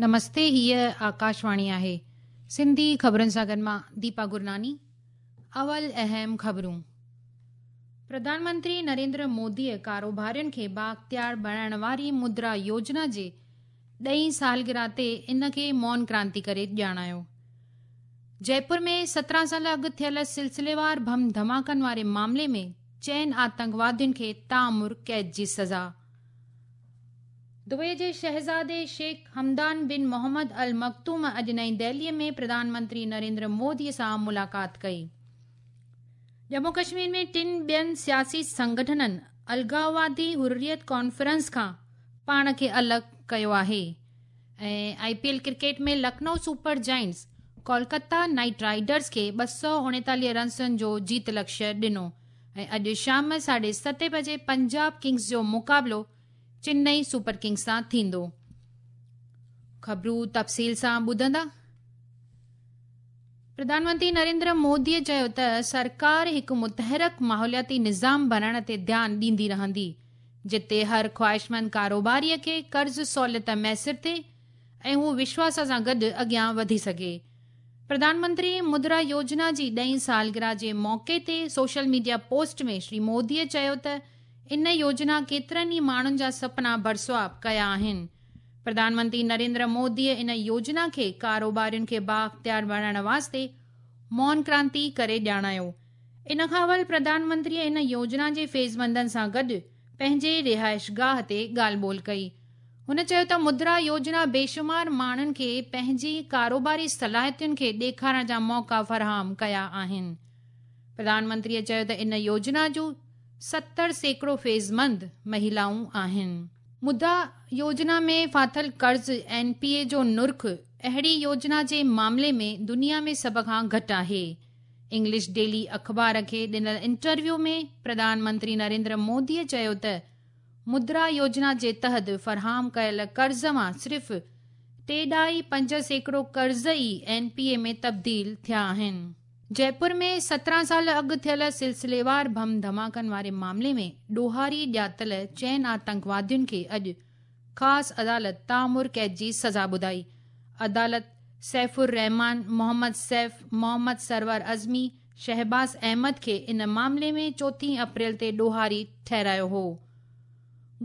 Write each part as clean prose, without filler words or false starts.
نمستي هيء آڪاشواڻي آهي سنڌي خبرن سان گڏ مان ديپا گرناني اول اهم خبرون پرڌان منتري نريندر موديء ڪاروبارين کي بااختيار بڻائڻ واري مدرا يوجنا جي ڏهين سالگرهه تي ان کي مون ڪرانتي ڪري ڄاڻايو. جئپور ۾ 17 سال اڳ ٿيل سلسليوار بم ڌماڪن واري معاملي ۾ چئن آتنڪوادين کي تاعمر قيد جي سزا. دبئي جي شهزادي شيخ حمدان بن محمد المڪتوم اڄ نئين دهلي ۾ پرڌان منتري نريندر مودي سان ملاقات ڪئي. ڄمون ڪشمير ۾ ٽن ٻين سياسي سنگٺنن الغاوادي حريت ڪانفرنس کان پاڻ کي الڳ ڪيو آهي ۽ I P L cricket ۾ Lucknow super giants Kolkata knight riders کي 239 رنسن جو جيت لڪشيه ڏنو ۽ اڄ شام 7:30 بجي پنجاب ڪنگز جو مقابلو چنئي سپر ڪنگز سان ٿيندو. خبرون تفصيل سان ٻڌندا. پرڌان منتري نريندر مودي چيو ته سرڪار هڪ متحرڪ ماحولياتي نظام بڻائڻ تي ڌيان ڏيندي رهندي، جتي هر خواهشمند ڪاروباري کي قرض سهوليت ميسر ٿئي ۽ هو وشواس سان گڏ اڳيان وڌي سگهي. پرڌان منتري مدرا يوجنا جي ڏهين سالگرهه جي موقعي تي social media post ۾ Shri Modi چيو ته ان يوجنا ڪيترن ئي ماڻهن جا سپنا برسواب ڪيا آهن. پرڌان منتري نريندر مودي ان يوجنا کي ڪاروبارين کي بااختيار بڻائڻ واسطي مون ڪرانتي ڪري ڄاڻايو. ان کان اول پرڌان منتري ان يوجنا جي فيضمندن سان گڏ پنهنجي رهائشگاهه تي ڳالهه ٻولهه ڪئي. هن چيو ته مدرا يوجنا بيشمار ماڻهن کي پنهنجي ڪاروباري صلاحيتن کي ڏيکارڻ جا موقعا فراهم ڪيا آهن. پرڌان منتري چيو ته ان يوجنا جون 70% فيضمند مهلائون آهن. مدرا يوجنا ۾ ڦاٿل قرض اين پي اي جو نرخ اهڙي يوجنا جي معاملي ۾ دنيا ۾ سڀ کان گهٽ آهي. انگلش ڊيلي اخبار کي ڏنل انٽرويو ۾ پرڌان منتري نريندر مودي چيو ته مدرا يوجنا جي تحت فراهم ڪيل قرض مان صرف 3.5% قرض ئي اين پي اي ۾ تبديل ٿيا آهن. جئپور ۾ 17 سال اڳ ٿيل سلسليوار بم ڌماڪن واري معاملي ۾ ڏوهاري ڄاتل چئن آتنڪوادين کي اڄ خاص عدالت تاعمر قيد جي سزا ٻڌائي. عدالت سيف الرحمان، محمد سيف، محمد سرور عظمي، شهباز احمد کي ان معاملي ۾ 4 اپريل تي ڏوهاري ٺهرايو هو.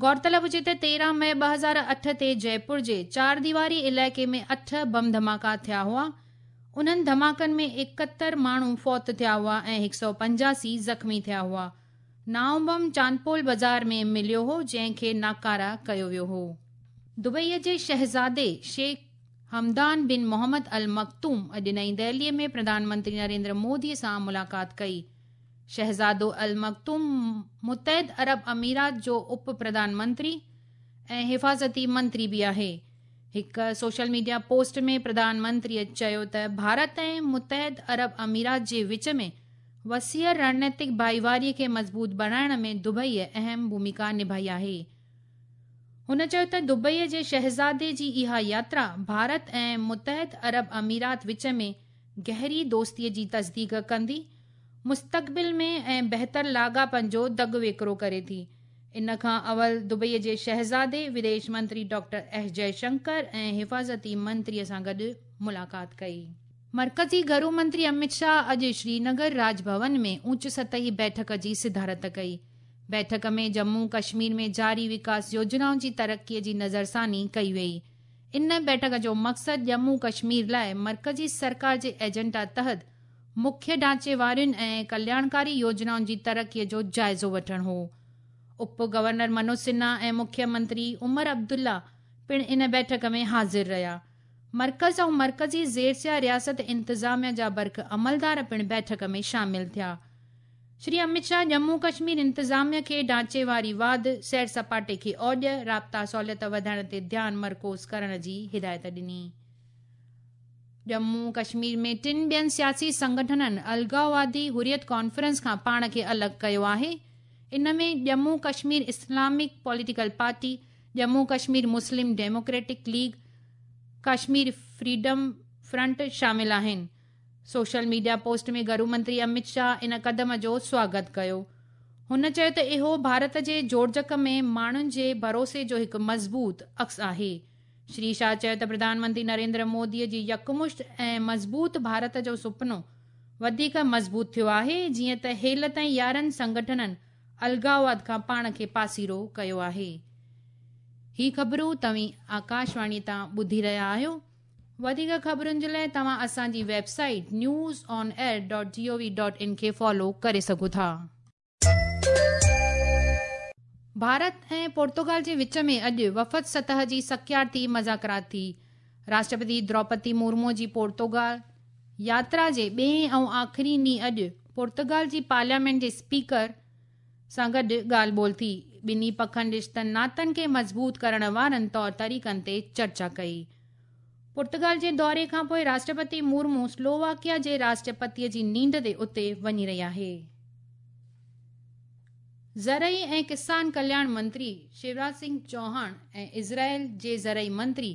غور طلب هجي ته 13 مئي 2008 تي جئپور جي چار ديواري علائقي ۾ 8 بم ڌماڪا ٿيا هئا. انهن ڌماڪن ۾ 71 ماڻهو فوت ٿيا هئا ۽ 185 زخمي ٿيا هئا. نائون بم چاندپول بازار ۾ مليو هو، جنهن کي ناڪاره ڪيو ويو هو. دبئي جي شهزادي شيخ حمدان بن محمد المڪتوم اڄ نئين دهلي ۾ پرڌان منتري نريندر مودي سان ملاقات ڪئي. شهزادو المڪتوم متحد عرب امارات جو اپ پرڌان منتري ۽ حفاظتي منتري به آهي. هڪ social media post ۾ Pradhan Mantri چيو ته ڀارت ۽ متحد عرب امارات جي وچ ۾ وسيع رڻنيتڪ ڀائيواري کي مضبوط بڻائڻ ۾ دبئي اهم ڀوميڪا نڀائي آهي. هن چيو ته دبئي جي شهزادي جي اها ياترا ڀارت ۽ متحد عرب امارات وچ ۾ گهري دوستي جي تصديق ڪندي مستقبل ۾ ۽ بهتر لاڳاپن جو دڳ ويڪرو ڪري ٿي. ان کان اول دبئي جي شهزادي وديش منتري ڊاڪٽر ايس جئه شنڪر ۽ حفاظتي منتري سان گڏ ملاقات ڪئي. مرڪزي گهرو منتري امت شاهه اڄ شرينگر راڄ ڀون ۾ اوچ سطحي بيٺڪ جي صدارت ڪئي. بيٺڪ ۾ ڄمون ڪشمير ۾ جاري وڪاس يوجنائن جي ترقي جي نظرثاني ڪئي وئي. ان بيٺڪ جو مقصد ڄمون ڪشمير لاء مرڪزي سرڪار جي ايجنڊا تحت مکيه ڍانچي وارين ۽ ڪلياڻڪاري يوجنائن جي ترقي جو جائزو وٺڻ هو. اپ گورنر منوج سنها ۽ مکيه منتري عمر عبدالله پڻ ان بيٺڪ ۾ حاضر رهيا. مرڪز ۽ مرڪزي زيرسيا رياست انتظاميا جا برک عملدار پڻ بيٺڪ ۾ شامل ٿيا. شري امت شاهه ڄمون ڪشمير انتظاميا کي ڍانچي واري واڌ، سير سپاٽي کي اوڄ، رابطا سهوليت وڌائڻ تي ڌيان مرڪوز ڪرڻ جي هدايت ڏني. ڄمون ڪشمير ۾ ٽن ٻين سياسي سنگٺنن الغاوادي حريت ڪانفرنس کان پاڻ کي الڳ ڪيو آهي. ان ۾ Jammu Kashmir Islamic political party, Jammu Kashmir Muslim democratic league, Kashmir freedom front شامل آهن. سوشل ميڊيا پوسٽ ۾ گهرو منتري امت شاهه ان قدم جو سواگت ڪيو. هن چيو ته اهو ڀارت جي جوڙجڪ ۾ ماڻهن جي ڀروسي جو هڪ مضبوط عڪس آهي. شري شاهه چيو ته پرڌان منتري نريندر مودي جي يڪمشت ۽ مضبوط ڀارت جو سپنو وڌيڪ مضبوط ٿيو آهي، جيئن ته هيل تائين 11 سنگٺنن الڳاواد کان پاڻ کي پاسيرو ڪيو آهي. هي خبرون توهين آڪاشواڻي تان ٻڌي رهيا آهيو. وڌيڪ خبرن جي لاء توهان اسان جي website news on air dot G O V dot in کي فالو ڪري سگهو ٿا. ڀارت ۽ پورتگال جي وچ ۾ اڄ وفد سطح جي سڪيارتي مذاڪرات ٿي. راشٽرپتي دروپدي مرمو جي پورتگال ياترا جي ٻئين ۽ آخري ڏينهن اڄ پورتگال جي پارليامينٽ جي اسپيڪر سان گڏ ڳالهه ٻولهه ٿي. ٻنهي پکن رشتن ناتن کي مضبوط ڪرڻ وارن طور طريقن تي چرچا ڪئي. پورتگال جي دوري کانپوء راشٽرپتي مرمو سلوواڪيا جي راشٽرپتي جي نينڍ تي اتي وڃي رهي آهي. زرعي ۽ ڪسان ڪلياڻ منتري شيوراج سنگهه چوهاڻ ۽ اسرائيل جي زرعي منتري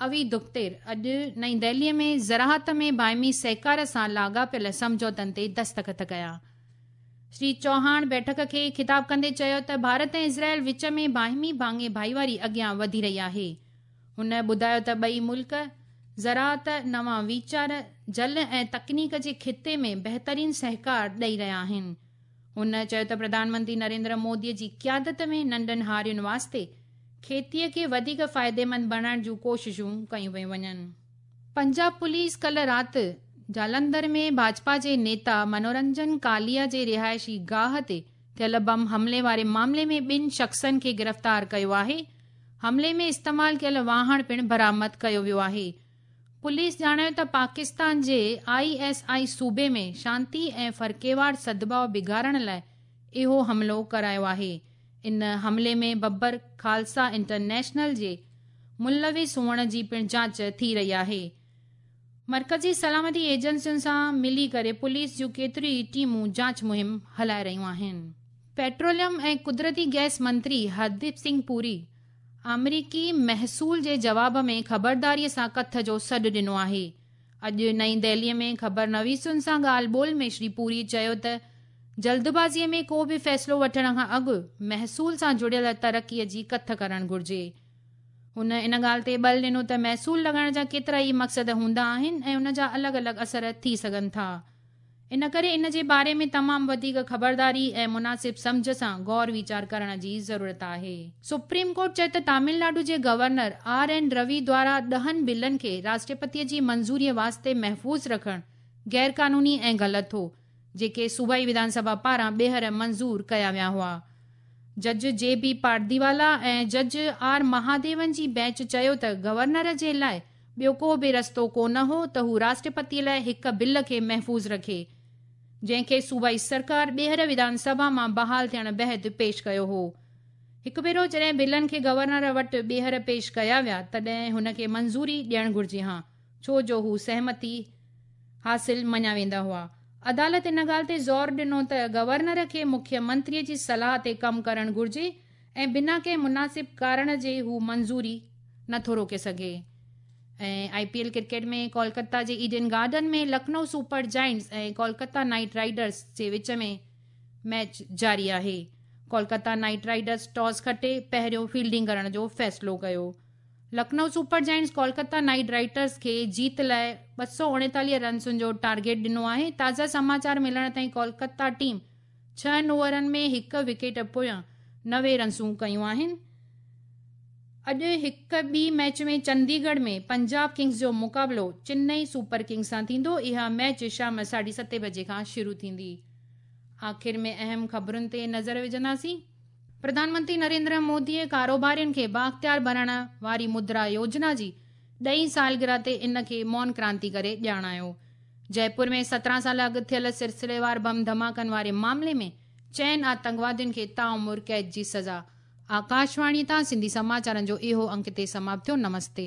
اوي دختر اڄ نئين دهلي ۾ زراعت ۾ باهمي سهڪار سان لاڳاپيل سمجهوتن تي دستخط ڪيا. شري چوهاڻ بيٺڪ کي خطاب ڪندي چيو ته ڀارت ۽ اسرائيل وچ ۾ باهمي ڀاڱي ڀائيواري اڳيان وڌي رهي آهي. هن ٻڌايو ته ٻئي ملڪ زراعت، نوان ويچار، جل ۽ تڪنيڪ جي خطي ۾ بهترين سهڪار ڏئي رهيا آهن. هن چيو ته پرڌان منتري نريندر مودي جي قيادت ۾ ننڍن هارين واسطي کيتيء کي وڌيڪ فائديمند بڻائڻ جون ڪوششون ڪيون پيون وڃن. پنجاب پوليس ڪلهه رات جالنڌر ۾ ڀاجپا جي نيتا منورنجن ڪاليا جي رهائشي گاهه تي ٿيل بم حملي واري معاملي ۾ ٻن شخصن کي گرفتار ڪيو آهي. حملي ۾ استعمال ڪيل واهڻ پڻ برآمد ڪيو ويو آهي. پوليس ڄاڻايو ته پاڪستان جي I S I صوبي ۾ شانتي ۽ فرقيوار سدڀاء بگاڙڻ لاء اهو حملو ڪرايو آهي. ان حملي ۾ ببر خالصا انٽرنيشنل جي ملوث هئڻ جي پڻ جاچ ٿي رهي آهي. مرڪزي سلامتي ايجنسين سان ملي ڪري پوليس جون ڪيتريون ئي ٽيمون جاچ مهم هلائي رهيون آهن. پيٽروليم ۽ قدرتي گئس منتري هرديپ سنگهه پوري آمريڪي محصول جي جواب ۾ خبرداري سان ڪٿ جو سڏ ڏنو آهي. اڄ نئين دهلي ۾ خبرنويسن سان ڳالهه ٻولهه ۾ شري پوري چيو ته جلدبازي ۾ ڪو به فيصلو وٺڻ کان اڳ محصول سان جڙيل ترقي جي ڪٿ ڪرڻ گهرجي. هن ان ڳالهه تي ٻل ڏنو ته محصول لڳائڻ جا ڪيترا ئي مقصد هوندا آهن ۽ ان جا الڳ الڳ اثر ٿي سگهن ٿا. ان ڪري ان جي باري ۾ تمام وڌيڪ خبرداري ۽ مناسب سمجهه سان غور ويچار ڪرڻ جي ضرورت آهي. سپريم ڪورٽ چيو ته تامل ناڊو جي گورنر آر اين روي دوارا 10 بلن کي راشٽرپتي جي منظوري واسطي محفوظ رکڻ غيرقانوني ۽ غلط هو، جيڪي صوبائي وڌان سڀا پاران ٻيهر منظور ڪيا ويا هئا. جج جي بي پارديوالا ۽ جج آر مهاديون جي بينچ چيو ته گورنر جي لاء ٻيو ڪو به رستو ڪونه هو ته هو راشٽرپتي لاء هڪ بل کي محفوظ رکي، جنهن کي صوبائي سرڪار ٻيهر وڌان سڀا مان بحال ٿيڻ بعد پيش ڪيو هو. هڪ ڀيرو جڏهن بلن کي گورنر وٽ ٻيهر پيش ڪيا ويا، تڏهن هن کي منظوري ڏيڻ گهرجي هان، ڇو جو هو سهمتي حاصل مڃيا ويندا هئا. عدالت ان ڳالهه تي زور ڏنو ته گورنر کي مکيه منتري جي صلاح تي ڪم ڪرڻ گهرجي ۽ بنا ڪنهن مناسب ڪارڻ جي هو منظوري نٿو روڪي سگهي. ۽ I P L cricket ۾ Kolkata جي Eden garden ۾ Lucknow super giants ۽ Kolkata knight riders جي وچ ۾ ميچ جاري آهي. ڪولڪتا نائيٽ رائيڊرز ٽاس کٽي پهريون فيلڊنگ ڪرڻ جو فيصلو ڪيو. Lucknow super giants Kolkata knight riders کي جيت لاء 239 رنسن جو ٽارگيٽ ڏنو آهي. تازا سماچار ملڻ تائين ڪولڪتا ٽيم 6 اوورن ۾ 1 وڪيٽ پويان 90 رنسون ڪيون آهن. اڄ هڪ ٻي ميچ ۾ چنديڳڙهه ۾ پنجاب ڪنگز جو مقابلو چنئي سپر ڪنگز سان ٿيندو. اها ميچ شام 7:30 بجي کان شروع ٿيندي. آخر ۾ اهم خبرن تي نظر وجهنداسين. پرڌان منتري نريندر مودي ڪاروبارين کي بااختيار بڻائڻ واري مدرا يوجنا جي 10هين سالگرهه تي ان کي مون ڪرانتي ڪري ڄاڻايو. جئپور ۾ 17 سال اڳ ٿيل سلسليوار بم ڌماڪن واري معاملي ۾ 4 آتنڪوادين کي تاعمر قيد جي سزا. آڪاشواڻي تان سنڌي سماچارن جو اهو انڪ هتي سماپت ٿيو. نمستي.